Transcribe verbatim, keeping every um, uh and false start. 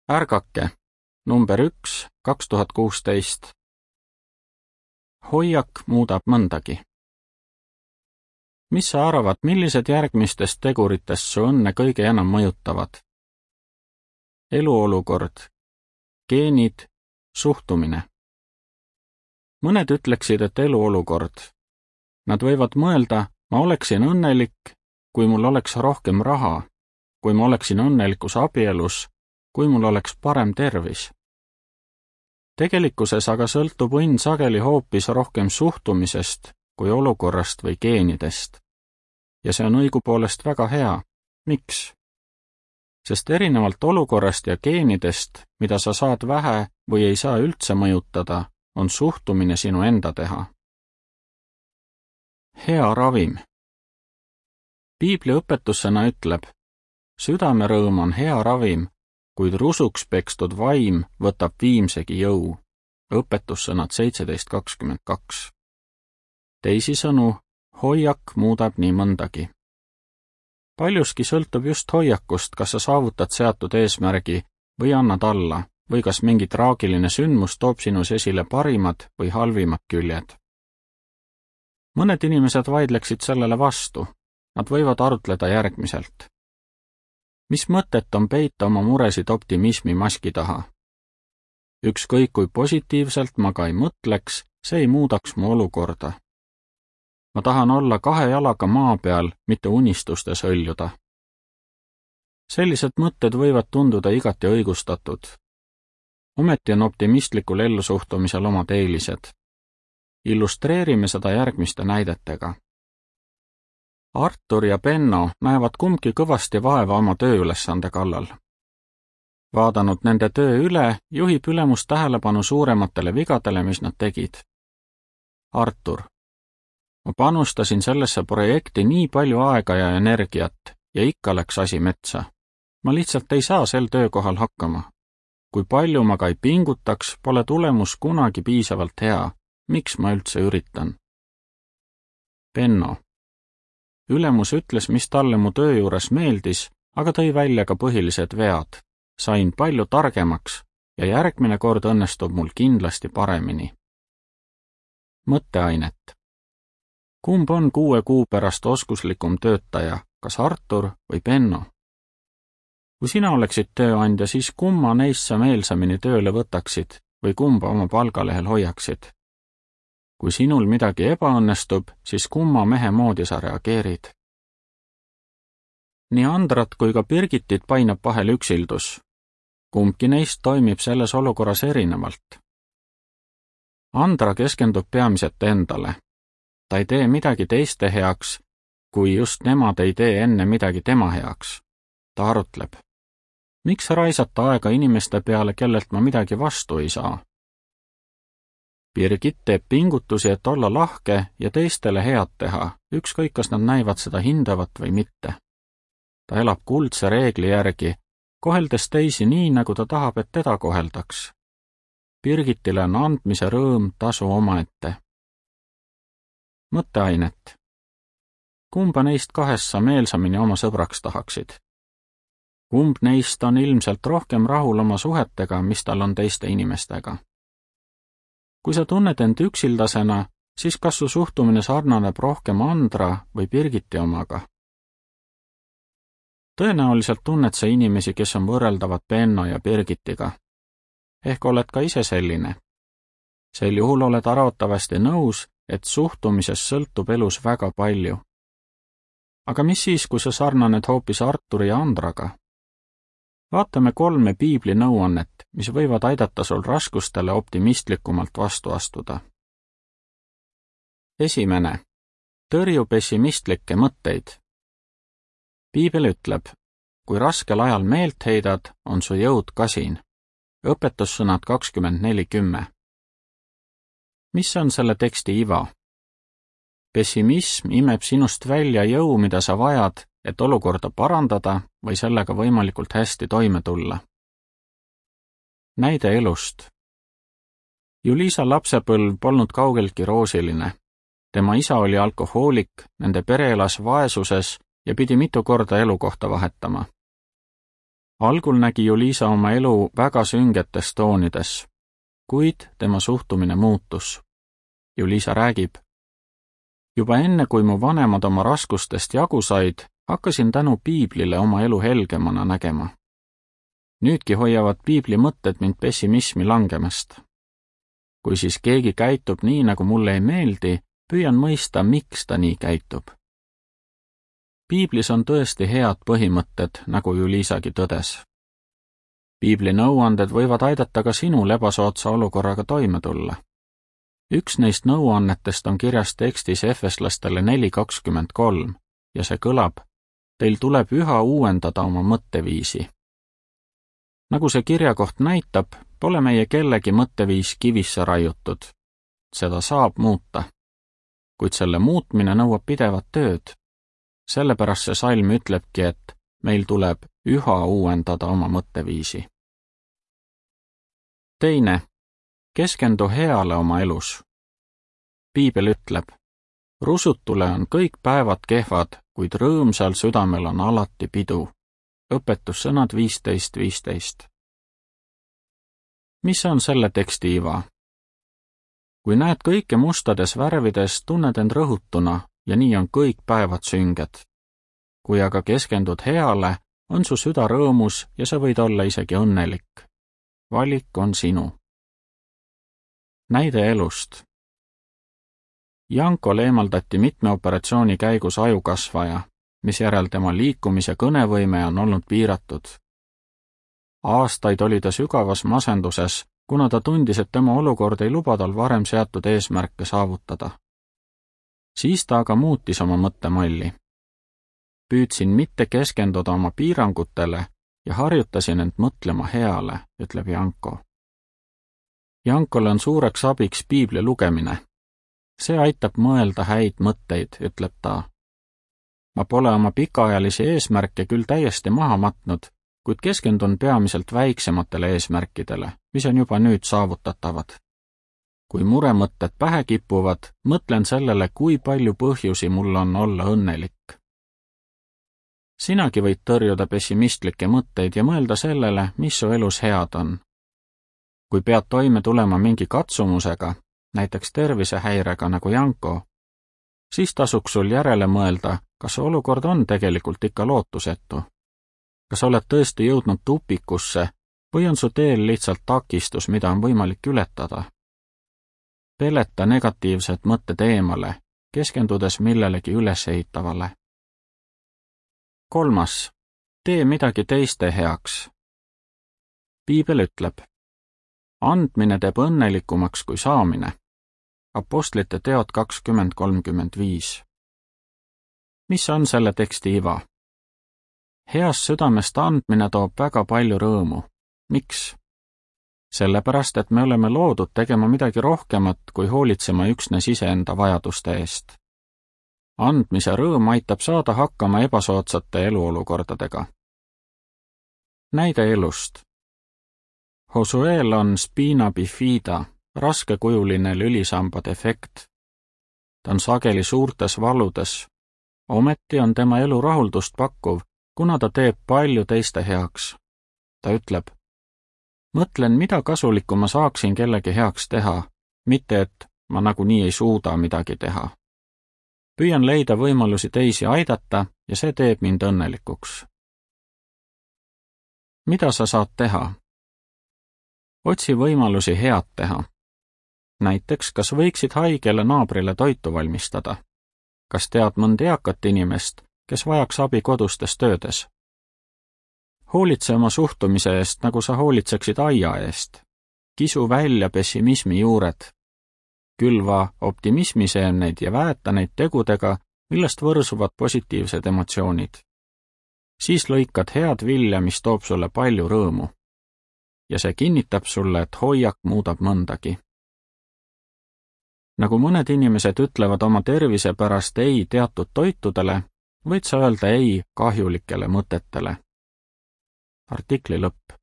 Ärgake, number üks, kaks tuhat kuusteist. Hoiak muudab mõndagi. Mis sa arvad, millised järgmistest teguritest su õnne kõige enam mõjutavad? Eluolukord, geenid, suhtumine. Mõned ütleksid, et eluolukord. Nad võivad mõelda, ma oleksin õnnelik, kui mul oleks rohkem raha, kui ma oleksin õnnelikus abielus, kui mul oleks parem tervis. Tegelikkuses aga sõltub õnn sageli hoopis rohkem suhtumisest kui olukorrast või geenidest. Ja see on õigupoolest väga hea. Miks? Sest erinevalt olukorrast ja geenidest, mida sa saad vähe või ei saa üldse mõjutada, on suhtumine sinu enda teha. Hea ravim. Piibli õpetussõna ütleb, südamerõõm on hea ravim, kuid rusuks pekstud vaim võtab viimsegi jõu. Õpetussõnad seitseteist kakskümmend kaks. Teisisõnu, hoiak muudab nii mõndagi. Paljuski sõltub just hoiakust, kas sa saavutad seatud eesmärgi või annad alla, või kas mingi traagiline sündmus toob sinus esile parimad või halvimad küljed. Mõned inimesed vaidleksid sellele vastu. Nad võivad arutleda järgmiselt. Mis mõtet on peita oma muresid optimismi maski taha? Ükskõik kui positiivselt ma ka ei mõtleks, see ei muudaks mu olukorda. Ma tahan olla kahe jalaga maa peal, mitte unistustes hõljuda. Sellised mõtted võivad tunduda igati õigustatud. Ometi on optimistlikul ellusuhtumisel omad eelised. Illustreerime seda järgmiste näidetega. Artur ja Benno näevad kumbki kõvasti vaeva oma tööülesande kallal. Vaadanud nende töö üle, juhib ülemus tähelepanu suurematele vigadele, mis nad tegid. Artur. Ma panustasin sellesse projekti nii palju aega ja energiat ja ikka läks asi metsa. Ma lihtsalt ei saa sel töökohal hakkama. Kui palju ma ka ei pingutaks, pole tulemus kunagi piisavalt hea. Miks ma üldse üritan? Benno. Ülemus ütles, mis talle mu töö juures meeldis, aga tõi välja ka põhilised vead. Sain palju targemaks ja järgmine kord õnnestub mul kindlasti paremini. Mõtteainet. Kumb on kuue kuu pärast oskuslikum töötaja, kas Artur või Benno? Kui sina oleksid tööandja, siis kumma neist sa meelsamini tööle võtaksid või kumba oma palgalehel hoiaksid? Kui sinul midagi ebaõnnestub, siis kumma mehe moodi sa reageerid? Nii Andrat kui ka Birgitit painab vahel üksildus. Kumbki neist toimib selles olukorras erinevalt. Andra keskendub peamiselt endale. Ta ei tee midagi teiste heaks, kui just nemad ei tee enne midagi tema heaks. Ta arutleb. Miks raisata aega inimeste peale, kellelt ma midagi vastu ei saa? Birgit teeb pingutusi, et olla lahke ja teistele head teha, ükskõik kas nad näivad seda hindavat või mitte. Ta elab kuldse reegli järgi, koheldes teisi nii, nagu ta tahab, et teda koheldaks. Birgitile on andmise rõõm tasu omaette. Mõtteainet. Kumba neist kahest sa meelsamini oma sõbraks tahaksid? Kumb neist on ilmselt rohkem rahul oma suhetega, mis tal on teiste inimestega? Kui sa tunned end üksildasena, siis kas su suhtumine sarnaneb rohkem Andra või Birgiti omaga? Tõenäoliselt tunned sa inimesi, kes on võrreldavad Benno ja Birgitiga. Ehk oled ka ise selline. Sel juhul oled arvatavasti nõus, et suhtumisest sõltub elus väga palju. Aga mis siis, kui sa sarnaned hoopis Arturi ja Andraga? Vaatame kolme piibli nõuannet, mis võivad aidata sul raskustele optimistlikumalt vastu astuda. Esimene. Tõrju pessimistlikke mõtteid. Piibel ütleb, kui raskel ajal meelt heidad, on su jõud kasin. Õpetussõnad kakskümmend neli kümme. Mis on selle teksti iva? Pessimism imeb sinust välja jõu, mida sa vajad, et olukorda parandada või sellega võimalikult hästi toime tulla. Näide elust. Julisa lapsepõlv polnud kaugeltki roosiline. Tema isa oli alkohoolik, nende pere elas vaesuses ja pidi mitu korda elukohta vahetama. Algul nägi Juliisa oma elu väga süngetes toonides, kuid tema suhtumine muutus. Juliisa räägib: juba enne, kui mu vanemad oma raskustest jagu said, hakkasin tänu piiblile oma elu helgemana nägema. Nüüdki hoiavad piibli mõtted mind pessimismi langemast. Kui siis keegi käitub nii, nagu mulle ei meeldi, püüan mõista, miks ta nii käitub. Piiblis on tõesti head põhimõtted, nagu Juliisagi tõdes. Piibli nõuanded võivad aidata ka sinul ebasoodsa olukorraga toime tulla. Üks neist nõuannetest on kirjas tekstis Efeslastele neli kakskümmend kolm ja see kõlab: teil tuleb üha uuendada oma mõtteviisi. Nagu see kirjakoht näitab, pole meie kellegi mõtteviis kivisse raiutud. Seda saab muuta. Kuid selle muutmine nõuab pidevat tööd. Sellepärast see salm ütlebki, et meil tuleb üha uuendada oma mõtteviisi. Teine. Keskendu heale oma elus. Piibel ütleb: rusutule on kõik päevad kehvad, kuid rõõmsal südamel on alati pidu. Õpetussõnad viisteist viisteist. Mis on selle teksti iva? Kui näed kõike mustades värvides, tunned end rõhutuna ja nii on kõik päevad sünged. Kui aga keskendud heale, on su süda rõõmus ja sa võid olla isegi õnnelik. Valik on sinu. Näide elust. Jankol eemaldati mitme operatsiooni käigus ajukasvaja, misjärel tema liikumis- ja kõnevõime on olnud piiratud. Aastaid oli ta sügavas masenduses, kuna ta tundis, et tema olukord ei luba tal varem seatud eesmärke saavutada. Siis ta aga muutis oma mõttemalli. Püüdsin mitte keskenduda oma piirangutele ja harjutasin end mõtlema heale, ütleb Janko. Jankole on suureks abiks piibli lugemine. See aitab mõelda häid mõtteid, ütleb ta. Ma pole oma pikaajalisi eesmärke küll täiesti maha matnud, kuid keskendun peamiselt väiksematele eesmärkidele, mis on juba nüüd saavutatavad. Kui muremõtted pähe kipuvad, mõtlen sellele, kui palju põhjusi mul on olla õnnelik. Sinagi võid tõrjuda pessimistlikke mõtteid ja mõelda sellele, mis su elus head on. Kui pead toime tulema mingi katsumusega, näiteks tervisehäirega nagu Janko, siis tasuks sul järele mõelda, kas olukord on tegelikult ikka lootusetu. Kas oled tõesti jõudnud tupikusse või on su teel lihtsalt takistus, mida on võimalik ületada? Peleta negatiivsed mõtted eemale, keskendudes millelegi ülesehitavale. Kolmas. Tee midagi teiste heaks. Piibel ütleb: andmine teeb õnnelikumaks kui saamine. Apostlite teod kakskümmend kolmkümmend viis. Mis on selle teksti iva? Heast südamest andmine toob väga palju rõõmu. Miks? Sellepärast, et me oleme loodud tegema midagi rohkemat, kui hoolitsema üksnes iseenda vajaduste eest. Andmise rõõm aitab saada hakkama ebasoodsate eluolukordadega. Näide elust. Josuel on spina bifida, raskekujuline lülisamba defekt. Ta on sageli suurtes valudes. Ometi on tema elu rahuldust pakkuv, kuna ta teeb palju teiste heaks. Ta ütleb: mõtlen, mida kasulikku ma saaksin kellegi heaks teha, mitte et ma nagunii ei suuda midagi teha. Püüan leida võimalusi teisi aidata ja see teeb mind õnnelikuks. Mida sa saad teha? Otsi võimalusi head teha. Näiteks, kas võiksid haigele naabrile toitu valmistada? Kas tead mõnd eakat inimest, kes vajaks abi kodustes töödes? Hoolitse oma suhtumise eest, nagu sa hoolitseksid aia eest. Kisu välja pessimismi juured. Külva optimismiseemneid ja väeta neid tegudega, millest võrsuvad positiivsed emotsioonid. Siis lõikad head vilja, mis toob sulle palju rõõmu. Ja see kinnitab sulle, et hoiak muudab mõndagi. Nagu mõned inimesed ütlevad oma tervise pärast ei teatud toitudele, võid sa öelda ei kahjulikele mõtetele. Artikli lõpp.